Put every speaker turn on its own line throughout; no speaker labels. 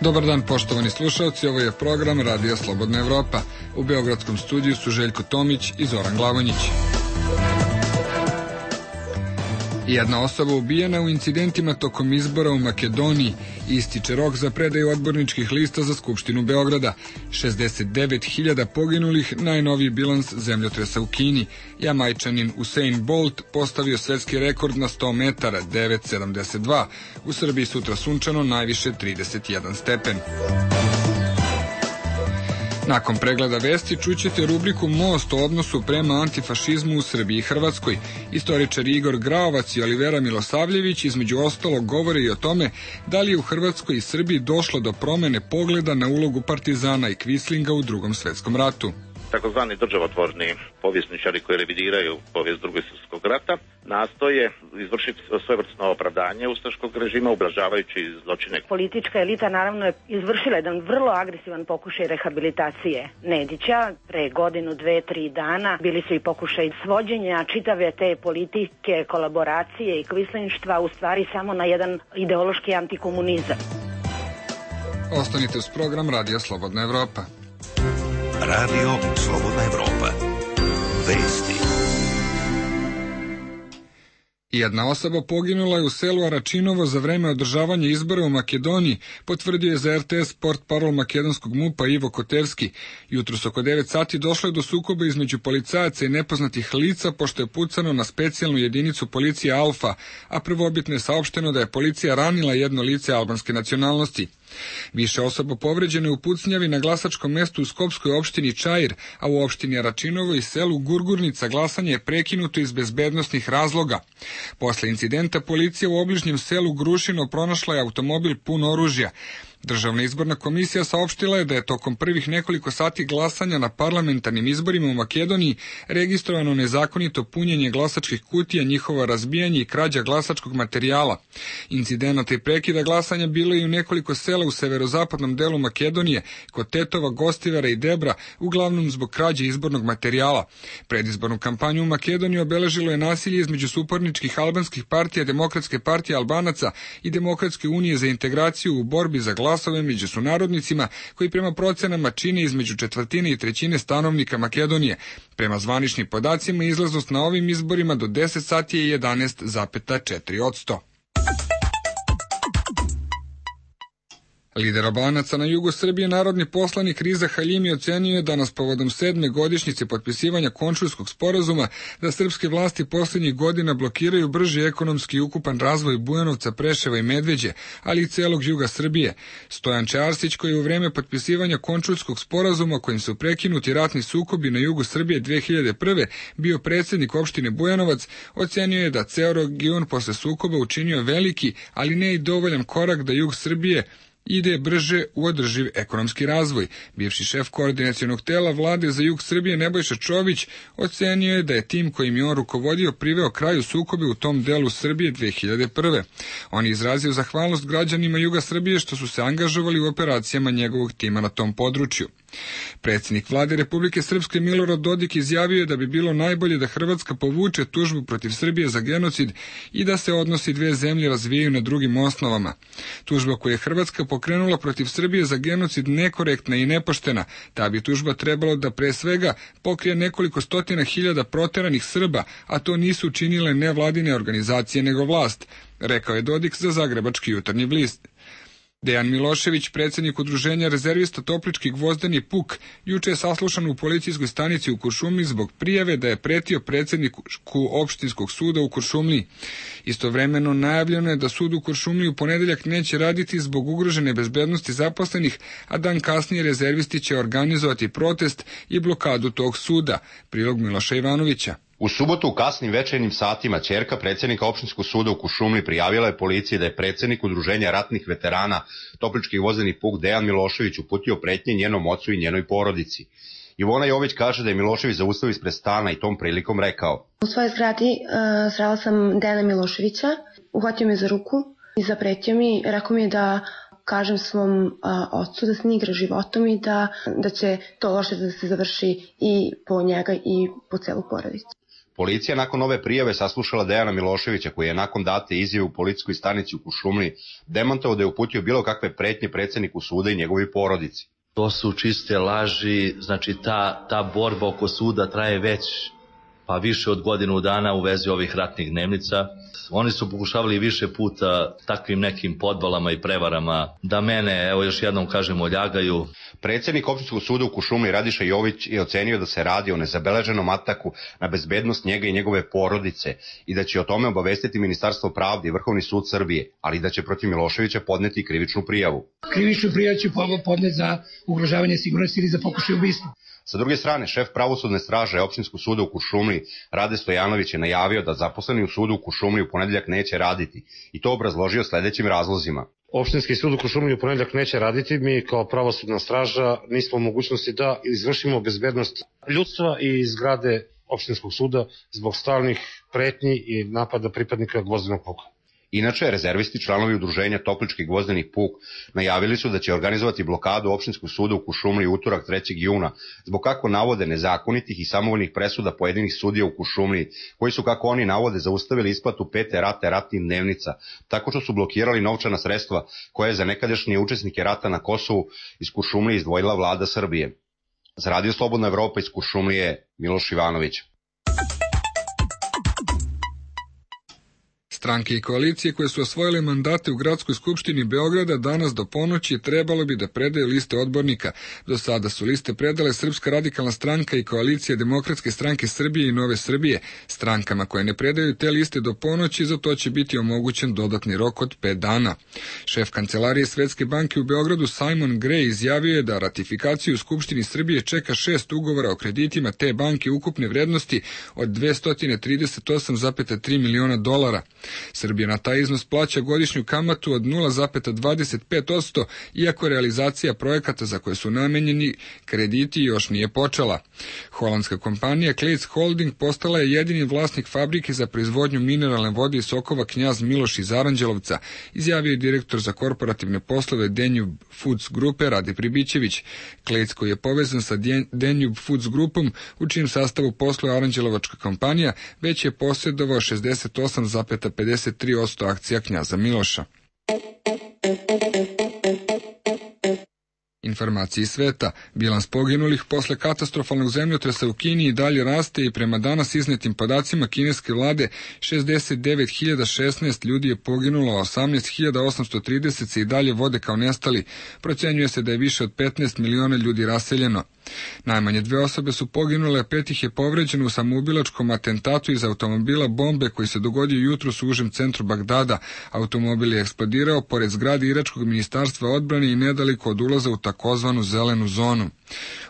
Dobar dan, poštovani slušalci, ovo je program Radija Slobodna Evropa. U beogradskom studiju su Željko Tomić i Zoran Glavonjić. Jedna osoba ubijena u incidentima tokom izbora u Makedoniji. Ističe rok za predaju odborničkih lista za Skupštinu Beograda. 69.000 poginulih, najnoviji bilans zemljotresa u Kini. Jamajčanin Usain Bolt postavio svetski rekord na 100 metara, 9.72. U Srbiji sutra sunčano, najviše 31 stepen. Nakon pregleda vesti čućete rubriku Most o odnosu prema antifašizmu u Srbiji i Hrvatskoj. Istoričar Igor Graovac i Olivera Milosavljević između ostalog govore i o tome da li je u Hrvatskoj i Srbiji došlo do promene pogleda na ulogu partizana i Kvislinga u Drugom svetskom ratu.
Takozvani državotvorni povjesničari koji revidiraju povijest Drugog svjetskog rata nastoje izvršiti svojevrsno opravdanje ustaškog režima ublažavajući zločine.
Politička elita naravno je izvršila jedan vrlo agresivan pokušaj rehabilitacije Nedića. Pre godinu, 2-3 dana bili su i pokušaj svođenja čitave te politike, kolaboracije i kvislinštva u stvari samo na jedan ideološki antikomunizam.
Ostanite uz program Radija Slobodna Evropa.
Radio Slobodna Evropa. Vesti.
Jedna osoba poginula je u selu Aračinovo za vreme održavanja izbora u Makedoniji, potvrdio je za RTS Sport parol makedonskog MUP-a Ivo Kotevski. Jutros oko 9 sati došlo je do sukoba između policajaca i nepoznatih lica, pošto je pucano na specijalnu jedinicu policije Alfa, a prvobitno je saopšteno da je policija ranila jedno lice albanske nacionalnosti. Više osoba povređene u pucnjavi na glasačkom mestu u skopskoj opštini Čair, a u opštini Aračinovo i selu Gurgurnica glasanje je prekinuto iz bezbednosnih razloga. Posle incidenta policija u obližnjem selu Grušino pronašla je automobil pun oružja. Državna izborna komisija saopštila je da je tokom prvih nekoliko sati glasanja na parlamentarnim izborima u Makedoniji registrovano nezakonito punjenje glasačkih kutija, njihovo razbijanje i krađa glasačkog materijala. Incidenata i prekida glasanja bilo je i u nekoliko sela u severozapadnom delu Makedonije, kod Tetova, Gostivara i Debra, uglavnom zbog krađe izbornog materijala. Predizbornu kampanju u Makedoniji obeležilo je nasilje između suparničkih albanskih partija, Demokratske partije Albanaca i Demokratske unije za integraciju u borbi za glasove među sunarodnicima, koji prema procenama čine između 1/4 i 1/3 stanovnika Makedonije. Prema zvaničnim podacima izlaznost na ovim izborima do 10 sati je 11,4%. Lider Albanaca na jugu Srbije, narodni poslanik Riza Haljimi, ocenio je danas povodom 7. godišnjice potpisivanja Končulskog sporazuma da srpske vlasti posljednjih godina blokiraju brži ekonomski i ukupan razvoj Bujanovca, Preševa i Medveđe, ali i celog juga Srbije. Stojan Čarsić, koji je u vreme potpisivanja Končulskog sporazuma kojim su prekinuti ratni sukobi na jugu Srbije 2001. bio predsjednik opštine Bujanovac, ocenio je da ceo region posle sukoba učinio veliki, ali ne i dovoljan korak da jug Srbije ide brže u održiv ekonomski razvoj. Bivši šef koordinacionog tela vlade za jug Srbije Nebojša Čović ocenio je da je tim kojim je on rukovodio priveo kraju sukobe u tom delu Srbije 2001. On je izrazio zahvalnost građanima juga Srbije što su se angažovali u operacijama njegovog tima na tom području. Predsjednik vlade Republike Srpske Milorad Dodik izjavio je da bi bilo najbolje da Hrvatska povuče tužbu protiv Srbije za genocid i da se odnosi dve zemlje razvijaju na drugim osnovama. Tužba koju je Hrvatska pokrenula protiv Srbije za genocid nekorektna i nepoštena. Ta bi tužba trebalo da pre svega pokrije nekoliko stotina hiljada proteranih Srba, a to nisu učinile nevladine organizacije nego vlast, rekao je Dodik za Zagrebački jutarnji list. Dejan Milošević, predsjednik udruženja rezervista Toplički gvozdeni puk, juče je saslušan u policijskoj stanici u Kuršumliji zbog prijave da je pretio predsjedniku opštinskog suda u Kuršumliji. Istovremeno najavljeno je da sud u Kuršumliji u ponedeljak neće raditi zbog ugrožene bezbednosti zaposlenih, a dan kasnije rezervisti će organizovati protest i blokadu tog suda. Prilog Miloša Ivanovića.
U subotu u kasnim večernjim satima ćerka predsjednika opštinskog suda u Kuršumliji prijavila je policiji da je predsjednik udruženja ratnih veterana Toplički gvozdeni puk Dejan Milošević uputio pretnje njenom ocu i njenoj porodici. Ivona Jović kaže da je Milošević zaustavio ispred stana i tom prilikom rekao:
U svojoj zgradi srela sam Dejana Miloševića, uhvatio me za ruku i zapretio mi, rekao mi je da kažem svom ocu da se ne igra životom i da će to loše da se završi i po njega i po celu porodicu.
Policija nakon ove prijave saslušala Dejana Miloševića, koji je nakon date izjave u policijskoj stanici u Kuršumliji demantovao da je uputio bilo kakve pretnje predsjedniku suda i njegovoj porodici.
To su čiste laži, znači ta borba oko suda traje već više od godinu dana u vezi ovih ratnih dnevnica. Oni su pokušavali više puta takvim nekim podvalama i prevarama da mene, evo još jednom kažem, oljagaju.
Predsjednik opštinskog suda u Kuršumliji Radiša Jović je ocenio da se radi o nezabeleženom ataku na bezbednost njega i njegove porodice i da će o tome obavestiti Ministarstvo pravde i Vrhovni sud Srbije, ali da će protiv Miloševića podneti krivičnu prijavu.
Krivičnu prijavu će podneti za ugrožavanje sigurnosti ili za pokušaj ubistva.
Sa druge strane, šef pravosudne straže opštinskog suda u Kuršumliji, Rade Stojanović, je najavio da zaposleni u sudu u Kuršumliji u ponedeljak neće raditi i to obrazložio sledećim razlozima.
Opštinski sud u Kuršumliji u ponedeljak neće raditi, mi kao pravosudna straža nismo u mogućnosti da izvršimo bezbednost ljudstva i zgrade opštinskog suda zbog stalnih pretnji i napada pripadnika gvozdenog puka.
Inače, rezervisti, članovi udruženja Toplički gvozdeni puk, najavili su da će organizovati blokadu opštinskog suda u Kuršumliji utorak 3. juna, zbog kako navode nezakonitih i samovoljnih presuda pojedinih sudija u Kuršumliji, koji su, kako oni navode, zaustavili isplatu 5. rate ratnih dnevnica, tako što su blokirali novčana sredstva koje je za nekadašnje učesnike rata na Kosovu iz Kuršumlije izdvojila vlada Srbije. Za Radio Slobodna Evropa iz Kuršumlije, Miloš Ivanović.
Stranke i koalicije koje su osvojile mandate u Gradskoj skupštini Beograda danas do ponoći trebalo bi da predaju liste odbornika. Do sada su liste predale Srpska radikalna stranka i koalicija Demokratske stranke Srbije i Nove Srbije. Strankama koje ne predaju te liste do ponoći, za to će biti omogućen dodatni rok od 5 dana. Šef kancelarije Svetske banke u Beogradu Simon Gray izjavio je da ratifikaciju u Skupštini Srbije čeka 6 ugovora o kreditima te banke ukupne vrednosti od $238,3 miliona. Srbija na taj iznos plaća godišnju kamatu od 0,25%, iako realizacija projekata za koje su namenjeni krediti još nije počela. Holandska kompanija Kleits Holding postala je jedini vlasnik fabrike za proizvodnju mineralne vode i sokova Knjaz Miloš iz Aranđelovca, izjavio je direktor za korporativne poslove Danube Foods grupe Rade Pribićević. Kleits, koji je povezan sa Danube Foods grupom, u čijem sastavu posluje Aranđelovačka kompanija, već je posjedovao 68,53% akcija Knjaza Miloša. Informacije iz sveta. Bilans poginulih posle katastrofalnog zemljotresa u Kini i dalje raste i prema danas iznetim podacima kineske vlade 69.016 ljudi je poginulo, a 18.830 se i dalje vode kao nestali. Procenjuje se da je više od 15 miliona ljudi raseljeno. Najmanje 2 osobe su poginule, a 5 ih je povređeno u samoubilačkom atentatu iz automobila bombe koji se dogodio jutros u užem centru Bagdada. Automobil je eksplodirao pored zgrade Iračkog ministarstva odbrane i nedaleko od ulaza u takozvanu zelenu zonu.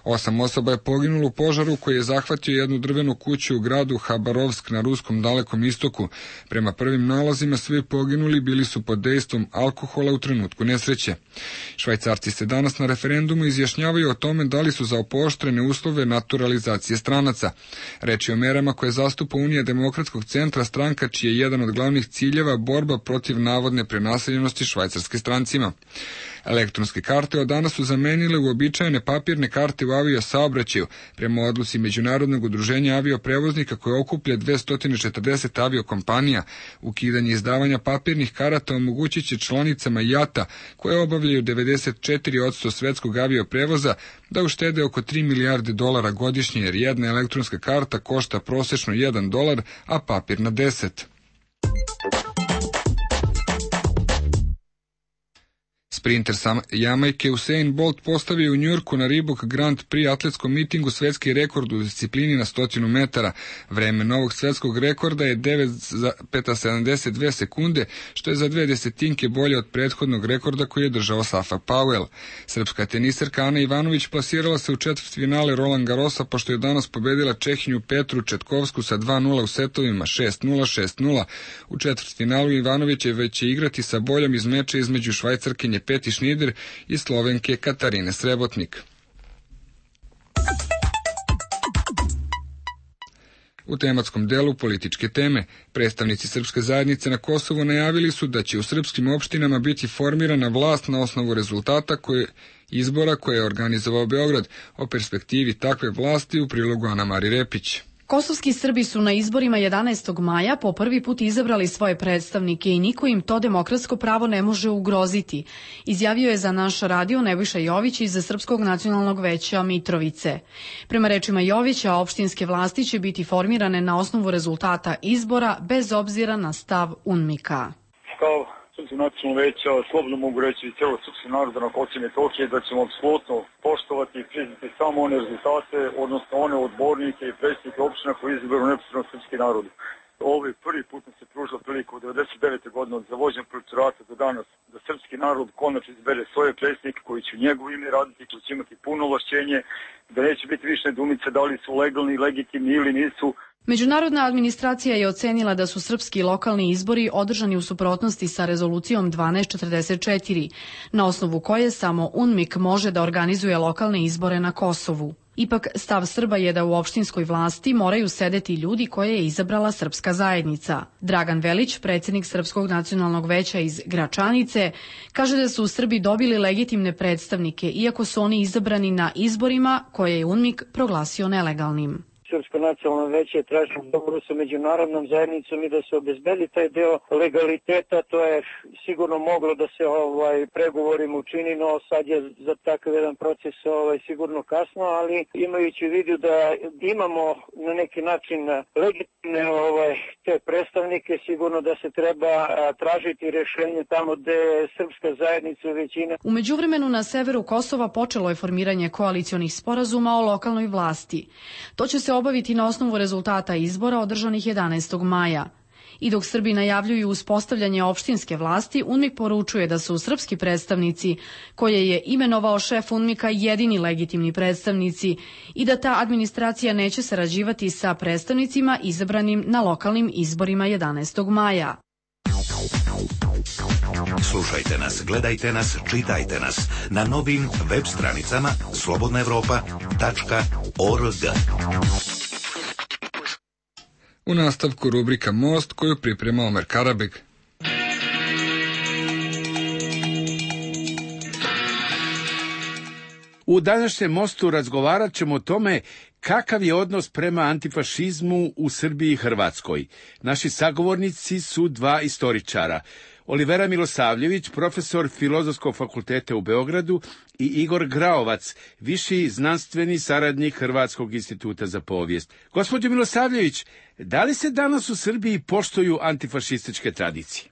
8 osoba je poginulo u požaru koji je zahvatio jednu drvenu kuću u gradu Habarovsk na ruskom Dalekom istoku. Prema prvim nalazima svi poginuli bili su pod dejstvom alkohola u trenutku nesreće. Švajcarci se danas na referendumu izjašnjavaju o tome da li su za pooštrene uslove naturalizacije stranaca. Reč je o merama koje zastupa Unija demokratskog centra, stranka čiji je jedan od glavnih ciljeva borba protiv navodne prenaseljenosti švajcarske strancima. Elektronske karte od danas su zamenile uobičajene papirne karte u aviosaobraćaju. Prema odluci Međunarodnog udruženja avioprevoznika koje okuplja 240 aviokompanija, ukidanje izdavanja papirnih karata omogućit će članicama IATA, koje obavljaju 94% svetskog avioprevoza, da uštede oko $3 milijarde godišnje, jer jedna elektronska karta košta prosečno $1, a papirna 10. Sprinter sa Jamajke Usain Bolt postavio u Njujorku na Reebok Grand Prix atletskom mitingu svetski rekord u disciplini na 100 metara. Vreme novog svetskog rekorda je 9,72 sekunde, što je za 0,2 bolje od prethodnog rekorda koji je držao Safa Powell. Srpska teniserka Ana Ivanović plasirala se u četvrtfinale Roland Garrosa, pošto je danas pobedila Čehinju Petru Četkovsku sa 2:0 u setovima 6:0, 6:0. U četvrtfinalu Ivanović je već igrati sa boljom iz meča između Švajcarkinje Peti Šnider i Slovenke Katarine Srebotnik. U tematskom delu političke teme, predstavnici srpske zajednice na Kosovu najavili su da će u srpskim opštinama biti formirana vlast na osnovu rezultata izbora koje je organizovao Beograd. O perspektivi takve vlasti u prilogu Ana Mari Repić.
Kosovski Srbi su na izborima 11. maja po prvi put izabrali svoje predstavnike i niko im to demokratsko pravo ne može ugroziti, izjavio je za naš radio Nebojša Jović iz Srpskog nacionalnog veća Mitrovice. Prema rečima Jovića, opštinske vlasti će biti formirane na osnovu rezultata izbora bez obzira na stav UNMIK-a.
Kao Srpsko nacionalno veća slobodno mogu reći i cijelo srpski naroda na Kosovu i Metohiji da ćemo apsolutno poštovati i priznati samo one rezultate, odnosno one odbornike i predsjednike opština koji izaberu neposredno srpski narod. Ovo je prvi put nam se pružila prilika od 1999. godine od zavođenja protektorata do danas da srpski narod konačno izbere svoje predsjednike koji će u njegovo ime raditi, koji će imati puno ovlašćenje, da neće biti više nedoumice da li su legalni, legitimni ili nisu.
Međunarodna administracija je ocenila da su srpski lokalni izbori održani u suprotnosti sa rezolucijom 1244, na osnovu koje samo UNMIK može da organizuje lokalne izbore na Kosovu. Ipak, stav Srba je da u opštinskoj vlasti moraju sedeti ljudi koje je izabrala srpska zajednica. Dragan Velić, predsjednik Srpskog nacionalnog veća iz Gračanice, kaže da su Srbi dobili legitimne predstavnike, iako su oni izabrani na izborima koje je UNMIK proglasio nelegalnim.
Srpsko nacionalno veće traži dogovoru sa međunarodnom zajednicom i da se obezbedi taj deo legaliteta. To je sigurno moglo da se pregovorima učini, no sad je za takav jedan proces sigurno kasno, ali imajući u vidu da imamo na neki način legitimne te predstavnike, sigurno da se treba tražiti rješenje tamo gde je srpska zajednica većina.
U međuvremenu na severu Kosova počelo je formiranje koalicionih sporazuma o lokalnoj vlasti. To će se obaviti na osnovu rezultata izbora održanih 11. maja. I dok Srbi najavljuju uspostavljanje opštinske vlasti, UNMIK poručuje da su srpski predstavnici, koje je imenovao šef UNMIK-a, jedini legitimni predstavnici i da ta administracija neće sarađivati sa predstavnicima izabranim na lokalnim izborima 11. maja.
Slušajte nas, gledajte nas, čitajte nas na novim web stranicama slobodnaevropa.org.
U nastavku rubrika Most koju priprema Omer Karabeg.
U današnjem Mostu razgovarat ćemo o tome kakav je odnos prema antifašizmu u Srbiji i Hrvatskoj. Naši sagovornici su dva istoričara. Olivera Milosavljević, profesor Filozofskog fakulteta u Beogradu, i Igor Graovac, viši znanstveni saradnik Hrvatskog instituta za povijest. Gospođo Milosavljević, da li se danas u Srbiji poštuju antifašističke tradicije?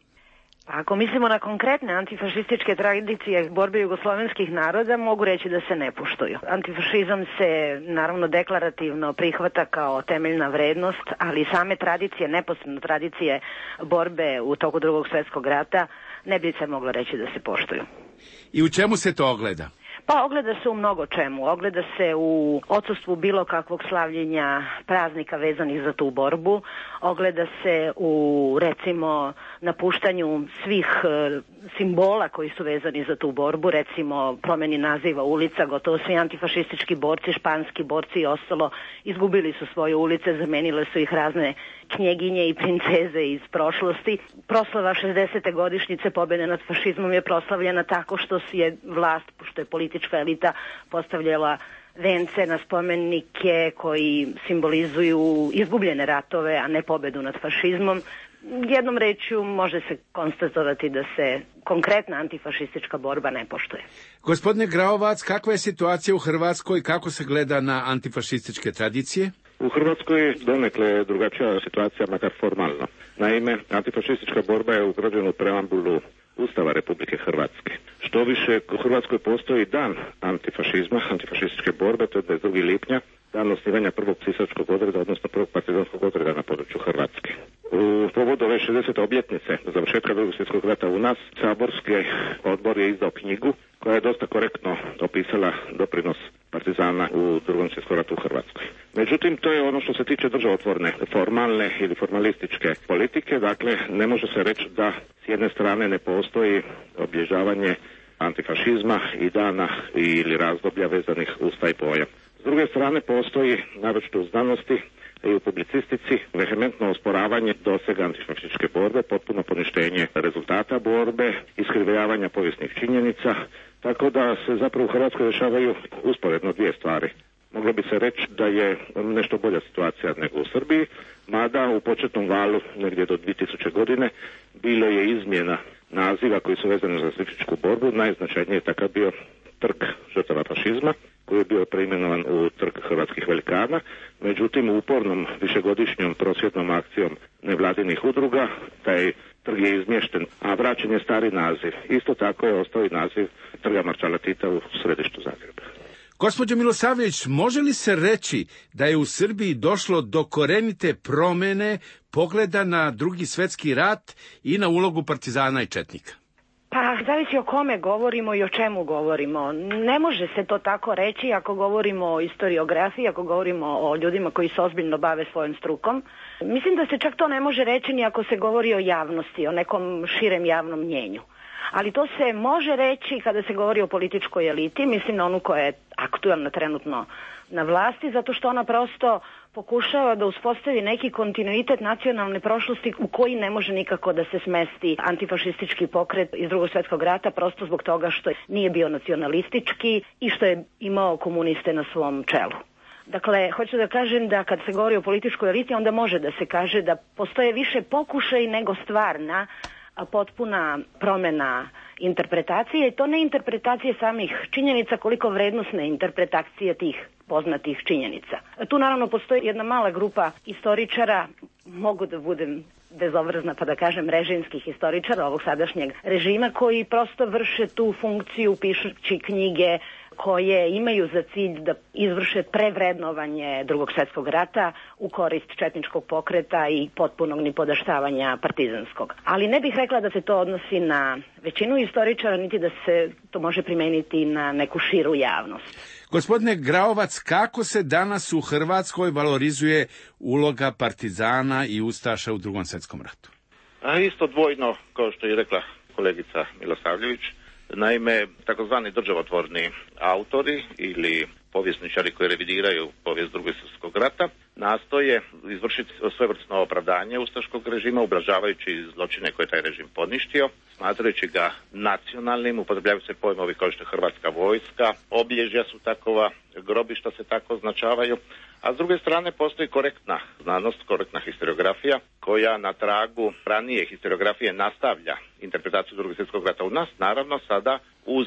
Ako mislimo na konkretne antifašističke tradicije borbe jugoslovenskih naroda, mogu reći da se ne poštuju. Antifašizam se naravno deklarativno prihvata kao temeljna vrednost, ali same tradicije, neposredno tradicije borbe u toku Drugog svjetskog rata ne bi se moglo reći da se poštuju.
I u čemu se to ogleda?
Pa ogleda se u mnogo čemu. Ogleda se u odsustvu bilo kakvog slavljenja praznika vezanih za tu borbu. Ogleda se u, recimo, napuštanju svih simbola koji su vezani za tu borbu, recimo promjeni naziva ulica. Gotovo svi antifašistički borci, španski borci i ostalo izgubili su svoje ulice, zamenile su ih razne knjeginje i princeze iz prošlosti. Proslava 60. godišnjice pobjede nad fašizmom je proslavljena tako što je vlast, što je politička elita postavljala vence na spomenike koji simbolizuju izgubljene ratove, a ne pobjedu nad fašizmom. Jednom rečju može se konstatovati da se konkretna antifašistička borba ne poštuje.
Gospodine Graovac, kakva je situacija u Hrvatskoj, kako se gleda na antifašističke tradicije?
U Hrvatskoj je donekle drugačija situacija, makar formalno. Naime, antifašistička borba je ugrađena u preambulu Ustava Republike Hrvatske. Što više, u Hrvatskoj postoji dan antifašizma, antifašističke borbe, to je 22. lipnja, dan osnivanja prvog cisačkog odreda, odnosno prvog partizanskog odreda na području Hrvatske. U povodu ove 60. obljetnice završetka Drugog svjetskog rata u nas, saborski odbor je izdao knjigu koja je dosta korektno opisala doprinos partizana u Drugom svjetskom ratu u Hrvatskoj. Međutim, to je ono što se tiče državotvorne, formalne ili formalističke politike, dakle ne može se reći da s jedne strane ne postoji obilježavanje antifašizma i dana ili razdoblja vezanih uz taj pojam. S druge strane postoji, naročito u znanosti i u publicistici, vehementno osporavanje dosega antifašističke borbe, potpuno poništenje rezultata borbe, iskrivljavanja povijesnih činjenica, tako da se zapravo u Hrvatskoj dešavaju usporedno dvije stvari. moglo bi se reći da je nešto bolja situacija nego u Srbiji, mada u početnom valu, negdje do 2000 godine, bilo je izmjena naziva koji su vezani za fašističku borbu. Najznačajniji je takav bio trg žrtava fašizma, koji je bio preimenovan u trg hrvatskih velikana. Međutim, u upornom višegodišnjom prosvjetnom akcijom nevladinih udruga, taj trg je izmješten, a vraćen je stari naziv. Isto tako je ostao i naziv trga Maršala Tita u središtu Zagreba.
Gospođo Milosavljević, može li se reći da je u Srbiji došlo do korenite promjene pogleda na Drugi svjetski rat i na ulogu partizana i četnika?
Pa, zavisi o kome govorimo i o čemu govorimo. Ne može se to tako reći ako govorimo o historiografiji, ako govorimo o ljudima koji se ozbiljno bave svojom strukom. Mislim da se čak to ne može reći ni ako se govori o javnosti, o nekom širem javnom mnjenju. Ali to se može reći kada se govori o političkoj eliti, mislim na onu koja je aktualna trenutno na vlasti, zato što ona prosto pokušava da uspostavi neki kontinuitet nacionalne prošlosti u koji ne može nikako da se smesti antifašistički pokret iz Drugog svjetskog rata, prosto zbog toga što nije bio nacionalistički i što je imao komuniste na svom čelu. Dakle, hoću da kažem da kad se govori o političkoj eliti, onda može da se kaže da postoje više pokušaj nego stvarna potpuna promjena interpretacije, i to ne interpretacije samih činjenica koliko vrednosne interpretacije tih poznatih činjenica. Tu naravno postoji jedna mala grupa istoričara, mogu da budem bezobrazna pa da kažem režimskih historičara ovog sadašnjeg režima, koji prosto vrše tu funkciju pišući knjige koje imaju za cilj da izvrše prevrednovanje Drugog svjetskog rata u korist četničkog pokreta i potpunog nipodaštavanja partizanskog. Ali ne bih rekla da se to odnosi na većinu istoričara, niti da se to može primeniti na neku širu javnost.
Gospodine Graovac, kako se danas u Hrvatskoj valorizuje uloga partizana i ustaša u Drugom svjetskom ratu?
Isto dvojno, kao što je rekla kolegica Milosavljević. Naime, takozvani državotvorni autori ili povjesničari koji revidiraju povijest Drugog svjetskog rata nastoje izvršiti svojevrsno opravdanje ustaškog režima, ublažavajući zločine koje je taj režim poništio, smatrajući ga nacionalnim. Upotrebljavaju se pojmovi kao što je Hrvatska vojska, obilježja su takova, grobišta se tako označavaju, a s druge strane postoji korektna znanost, korektna historiografija koja na tragu ranije historiografije nastavlja interpretaciju Drugog svjetskog rata u nas, naravno sada uz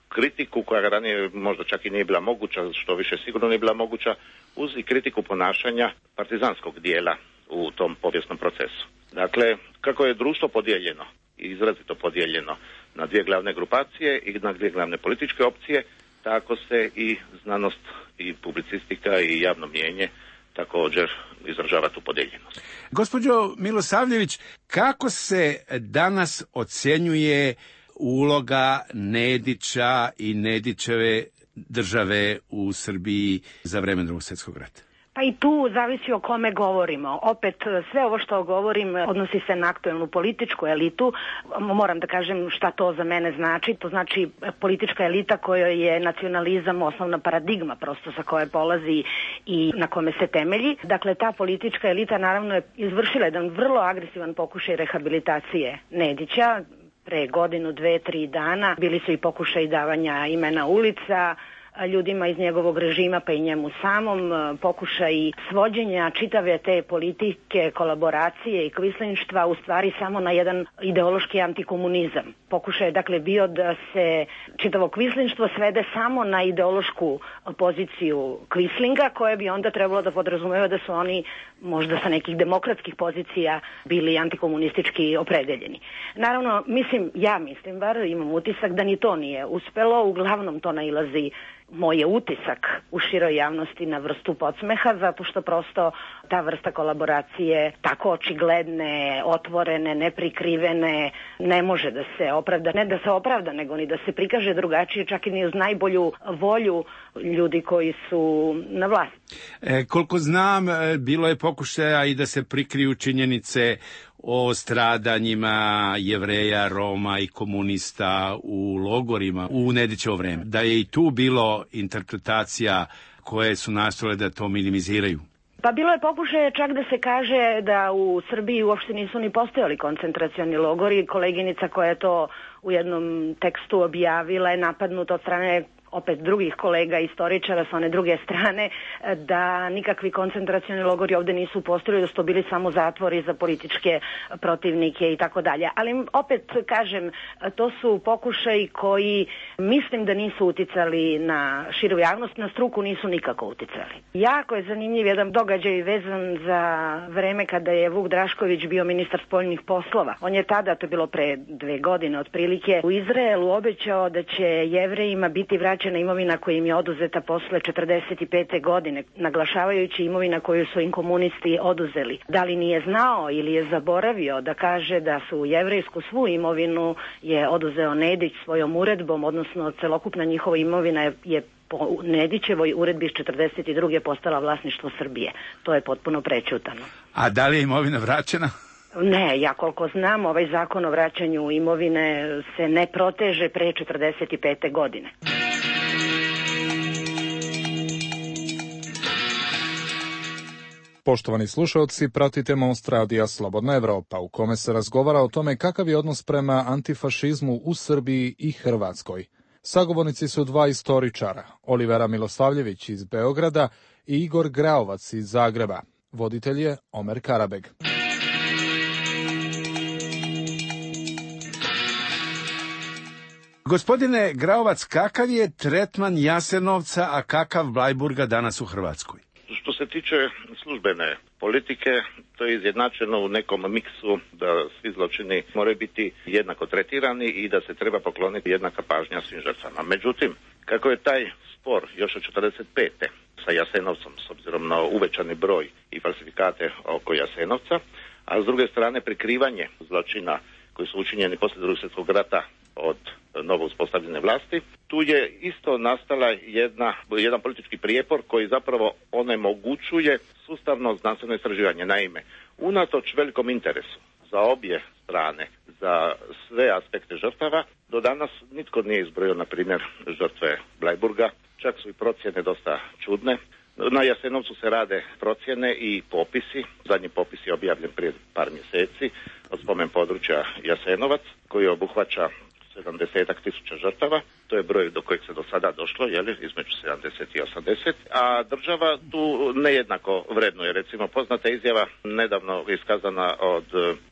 kritiku koja ranije možda čak i nije bila moguća, što više sigurno nije bila moguća, uz i kritiku ponašanja partizanskog dijela u tom povijesnom procesu. Dakle, kako je društvo podijeljeno, izrazito podijeljeno na dvije glavne grupacije i na dvije glavne političke opcije, tako se i znanost i publicistika i javno mnijenje također izražava tu podijeljenost.
Gospođo Milosavljević, kako se danas ocjenjuje uloga Nedića i Nedićeve države u Srbiji za vreme Drugog svjetskog rata?
Pa i tu zavisi o kome govorimo. Opet, sve ovo što govorim odnosi se na aktuelnu političku elitu. Moram da kažem šta to za mene znači. To znači politička elita kojoj je nacionalizam osnovna paradigma prosto sa koje polazi i na kome se temelji. Dakle, ta politička elita naravno je izvršila jedan vrlo agresivan pokušaj rehabilitacije Nedića. Pre godinu, 2-3 dana bili su i pokušaj davanja imena ulica ljudima iz njegovog režima pa i njemu samom, pokušaj svođenja čitave te politike, kolaboracije i kvislinštva u stvari samo na jedan ideološki antikomunizam. Pokušaj je dakle bio da se čitavo kvislinštvo svede samo na ideološku poziciju kvislinga, koje bi onda trebalo da podrazumeva da su oni možda sa nekih demokratskih pozicija bili antikomunistički opredeljeni. Naravno, ja mislim bar, imam utisak da ni to nije uspelo, uglavnom to nailazi moj je utisak u široj javnosti na vrstu podsmeha, zato što prosto ta vrsta kolaboracije tako očigledne, otvorene, neprikrivene, ne može da se opravda, ne da se opravda, nego ni da se prikaže drugačije, čak i ni uz najbolju volju ljudi koji su na vlasti.
Koliko znam, bilo je pokušaja i da se prikriju činjenice o stradanjima Jevreja, Roma i komunista u logorima u Nedićevo vreme. Da je i tu bilo interpretacija koje su nastojale da to minimiziraju.
Pa bilo je pokušaje čak da se kaže da u Srbiji uopšte nisu ni postojali koncentracioni logori. Koleginica koja je to u jednom tekstu objavila je napadnuta od strane opet drugih kolega istoričara sa one druge strane, da nikakvi koncentracioni logori ovde nisu postojali, da su to bili samo zatvori za političke protivnike i tako dalje. Ali opet kažem, to su pokušaji koji mislim da nisu uticali na širu javnost, na struku nisu nikako uticali. Jako je zanimljiv jedan događaj vezan za vreme kada je Vuk Drašković bio ministar spoljnih poslova. On je tada, to je bilo pre 2 godine otprilike, u Izraelu obećao da će Jevrejima biti vraćena imovina koja im je oduzeta posle 45. godine, naglašavajući imovina koju su im komunisti oduzeli. Da li nije znao ili je zaboravio da kaže da su jevrejsku svu imovinu je oduzeo Nedić svojom uredbom, odnosno celokupna njihova imovina je po Nedićevoj uredbi iz 42. postala vlasništvo Srbije. To je potpuno prećutano.
A da li je imovina vraćena?
Ne, ja koliko znam, ovaj zakon o vraćanju imovine se ne proteže pre 45. godine.
Poštovani slušalci, pratite Most radija Slobodna Evropa, u kome se razgovara o tome kakav je odnos prema antifašizmu u Srbiji i Hrvatskoj. Sagovornici su 2 istoričara, Olivera Milosavljević iz Beograda i Igor Graovac iz Zagreba. Voditelj je Omer Karabeg.
Gospodine Graovac, kakav je tretman Jasenovca, a kakav Blajburga danas u Hrvatskoj?
Što se tiče službene politike, to je izjednačeno u nekom miksu da svi zločini moraju biti jednako tretirani i da se treba pokloniti jednaka pažnja svim žrtvama. Međutim, kako je taj spor još od 45. sa Jasenovcem, s obzirom na uvećani broj i falsifikate oko Jasenovca, a s druge strane prikrivanje zločina koji su učinjeni poslije Drugog svjetskog rata od novo uspostavljene vlasti, tu je isto nastala jedan politički prijepor koji zapravo onemogućuje sustavno znanstveno istraživanje. Naime, unatoč velikom interesu za obje strane, za sve aspekte žrtava, do danas nitko nije izbrojio, na primjer, žrtve Blajburga, čak su i procjene dosta čudne. Na Jasenovcu se rade procjene i popisi. Zadnji popis je objavljen prije par mjeseci od spomen područja Jasenovac, koji obuhvaća 70.000 žrtava. To je broj do kojeg se do sada došlo, između 70 i 80. A država tu nejednako vrednuje. Recimo, poznata izjava nedavno iskazana od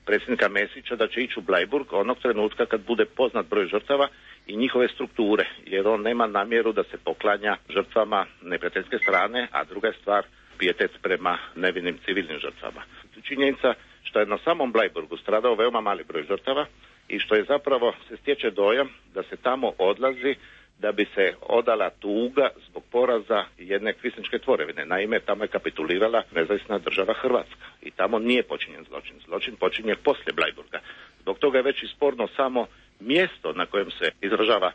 predsjednika Mesića da će ići u Blajburg onog trenutka kad bude poznat broj žrtava i njihove strukture, jer on nema namjeru da se poklanja žrtvama neprijateljske strane, a druga je stvar pijetet prema nevinim civilnim žrtvama. Činjenica što je na samom Blajburgu stradao veoma mali broj žrtava i što je zapravo se stječe dojam da se tamo odlazi da bi se odala tuga zbog poraza jedne kvislinške tvorevine. Naime, tamo je kapitulirala nezavisna država Hrvatska i tamo nije počinjen zločin. Zločin počinje poslije Blajburga. Zbog toga je već i sporno samo mjesto na kojem se izražava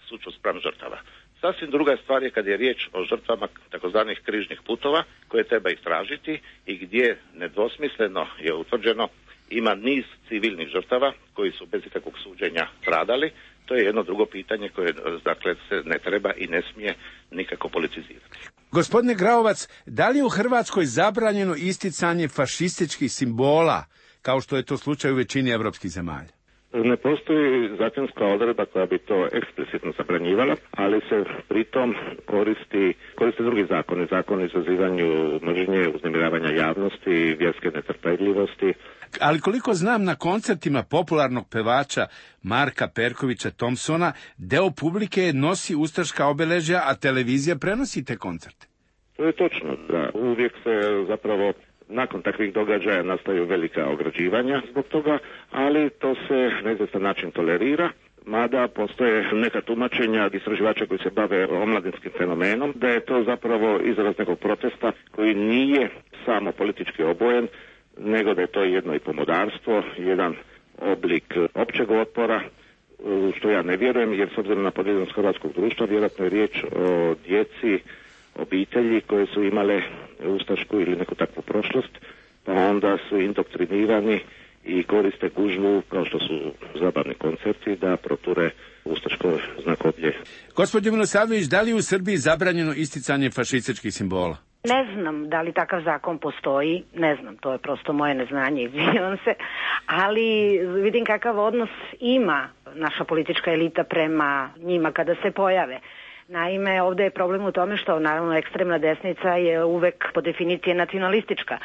sućut spram žrtava. Sasvim druga stvar je kad je riječ o žrtvama takozvanih križnih putova koje treba istražiti i gdje nedvosmisleno je utvrđeno ima niz civilnih žrtava koji su bez ikakvog suđenja stradali. To je jedno drugo pitanje koje dakle se ne treba i ne smije nikako politizirati.
Gospodine Graovac, da li je u Hrvatskoj zabranjeno isticanje fašističkih simbola, kao što je to slučaj u većini evropskih zemalja?
Ne postoji zakonska odredba koja bi to eksplicitno zabranjivala, ali se pritom koriste drugi zakoni, zakon o izazivanju mržnje, uznemiravanja javnosti, vjerske netrpeljivosti.
Ali koliko znam, na koncertima popularnog pevača Marka Perkovića Thompsona, deo publike nosi ustaška obeležja, a televizija prenosi te koncerte.
To je točno, da. Uvijek se zapravo nakon takvih događaja nastaju velika ograđivanja zbog toga, ali to se na izvjestan način tolerira, mada postoje neka tumačenja istraživača koji se bave omladinskim fenomenom, da je to zapravo izraz nekog protesta koji nije samo politički obojen, nego da je to jedno i pomodarstvo, jedan oblik općeg otpora, što ja ne vjerujem, jer s obzirom na podijeljenost hrvatskog društva, vjerojatno je riječ o djeci, obitelji koje su imale ustašku ili neku takvu prošlost, pa onda su indoktrinirani i koriste gužvu, kao što su zabavni koncerti, da proture ustaško znakoblje.
Gospođo Milosavljević, da li je u Srbiji zabranjeno isticanje fašističkih simbola?
Ne znam da li takav zakon postoji, ne znam, to je prosto moje neznanje, izvinjavam se, ali vidim kakav odnos ima naša politička elita prema njima kada se pojave. Naime, ovde je problem u tome što naravno ekstremna desnica je uvek po definiciji nacionalistička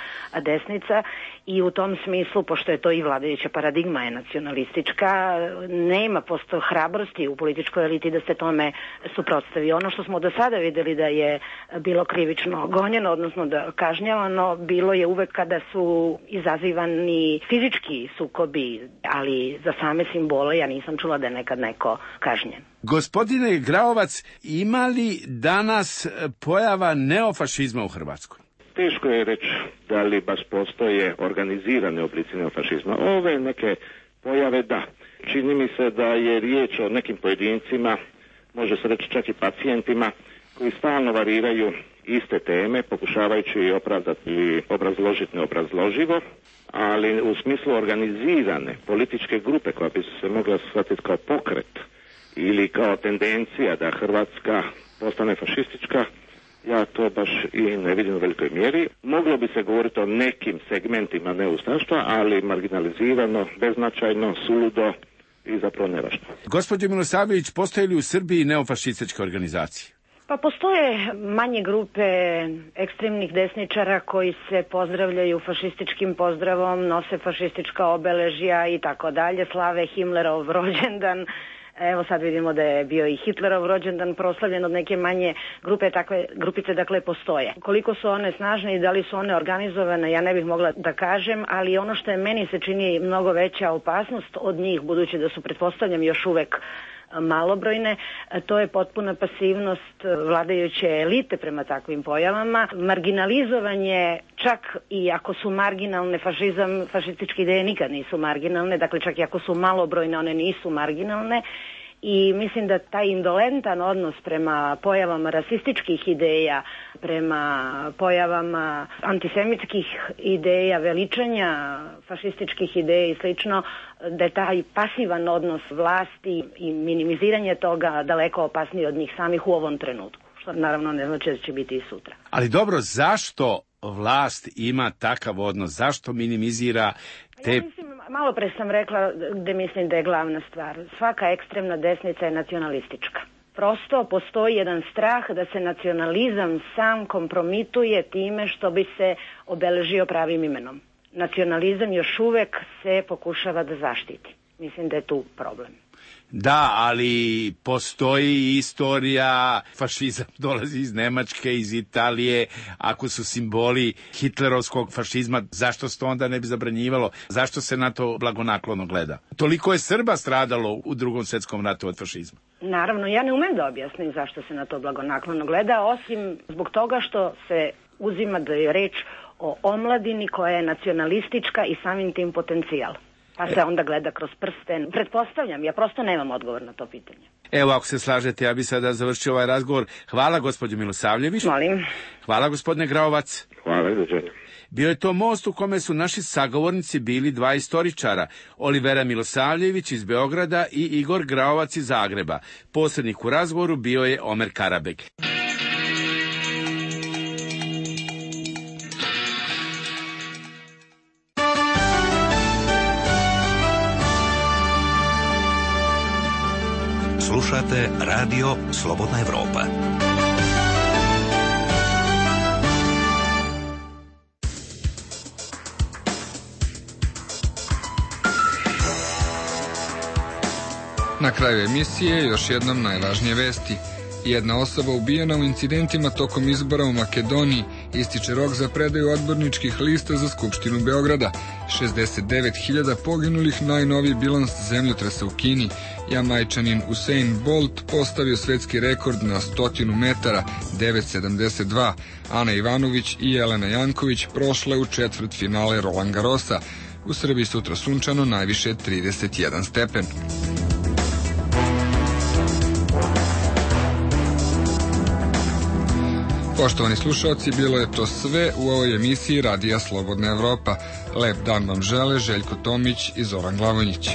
desnica i u tom smislu, pošto je to i vladajuća paradigma je nacionalistička, nema posto hrabrosti u političkoj eliti da se tome suprotstavi. Ono što smo do sada videli da je bilo krivično gonjeno, odnosno da kažnjavano, bilo je uvek kada su izazivani fizički sukobi, ali za same simbole ja nisam čula da je nekad neko kažnjen.
Gospodine Graovac, ima li danas pojava neofašizma u Hrvatskoj?
Teško je reći da li baš postoje organizirane oblici neofašizma. Ove neke pojave da. Čini mi se da je riječ o nekim pojedincima, može se reći čak i pacijentima, koji stalno variraju iste teme, pokušavajući opravdati ili obrazložiti neobrazloživo, ali u smislu organizirane političke grupe koja bi se mogla shvatiti kao pokret ili kao tendencija da Hrvatska postane fašistička, ja to baš i ne vidim u velikoj mjeri. Moglo bi se govoriti o nekim segmentima neustaštva, ali marginalizirano, beznačajno, suludo i zapravo nevažno.
Gospođo Milosavljević, postoje li u Srbiji neofašističke organizacije?
Pa postoje manje grupe ekstremnih desničara koji se pozdravljaju fašističkim pozdravom, nose fašistička obeležja i tako dalje, slave Himmlerov rođendan. Evo sad vidimo da je bio i Hitlerov rođendan proslavljen od neke manje grupe, takve grupice dakle postoje. Koliko su one snažne i da li su one organizovane, ja ne bih mogla da kažem, ali ono što je meni se čini mnogo veća opasnost od njih, budući da su pretpostavljam još uvek malobrojne, to je potpuna pasivnost vladajuće elite prema takvim pojavama, marginalizovanje, čak i ako su marginalne, fašističke ideje nikad nisu marginalne, dakle čak i ako su malobrojne, one nisu marginalne. I mislim da taj indolentan odnos prema pojavama rasističkih ideja, prema pojavama antisemitskih ideja, veličanja fašističkih ideja i slično, da je taj pasivan odnos vlasti i minimiziranje toga daleko opasniji od njih samih u ovom trenutku, što naravno ne znači da će biti i sutra.
Ali dobro, zašto vlast ima takav odnos? Zašto minimizira te...
Ja mislim, malo pre sam rekla da mislim da je glavna stvar. Svaka ekstremna desnica je nacionalistička. Prosto postoji jedan strah da se nacionalizam sam kompromituje time što bi se obeležio pravim imenom. Nacionalizam još uvek se pokušava da zaštiti. Mislim da je tu problem.
Da, ali postoji istorija, fašizam dolazi iz Nemačke, iz Italije, ako su simboli hitlerovskog fašizma, zašto se to onda ne bi zabranjivalo? Zašto se na to blagonaklono gleda? Toliko je Srba stradalo u Drugom svjetskom ratu od fašizma.
Naravno, ja ne umem da objasnim zašto se na to blagonaklono gleda, osim zbog toga što se uzima da je reč o omladini koja je nacionalistička i samim tim potencijal. Pa se onda gleda kroz prsten. Pretpostavljam, ja prosto nemam odgovor na to pitanje.
Evo, ako se slažete, ja bih sada završio ovaj razgovor. Hvala, gospođo Milosavljević.
Molim.
Hvala, gospodine Graovac.
Hvala, dođenja.
Bio je to most u kome su naši sagovornici bili dva istoričara, Olivera Milosavljević iz Beograda i Igor Graovac iz Zagreba. Posrednik u razgovoru bio je Omer Karabeg.
Slušate Radio Slobodna Evropa.
Na kraju emisije još jednom najvažnije vesti. Jedna osoba ubijena u incidentima tokom izbora u Makedoniji, ističe rok za predaju odborničkih lista za Skupštinu Beograda. 69.000 poginulih, najnoviji bilans zemljotresa u Kini. Jamajčanin Usain Bolt postavio svetski rekord na 100 metara, 9.72. Ana Ivanović i Jelena Janković prošle u četvrtfinale Roland Garrosa. U Srbiji sutra sunčano, najviše 31 stepen. Poštovani slušalci, bilo je to sve u ovoj emisiji Radija Slobodna Evropa. Lep dan vam žele Željko Tomić i Zoran Glavonjić.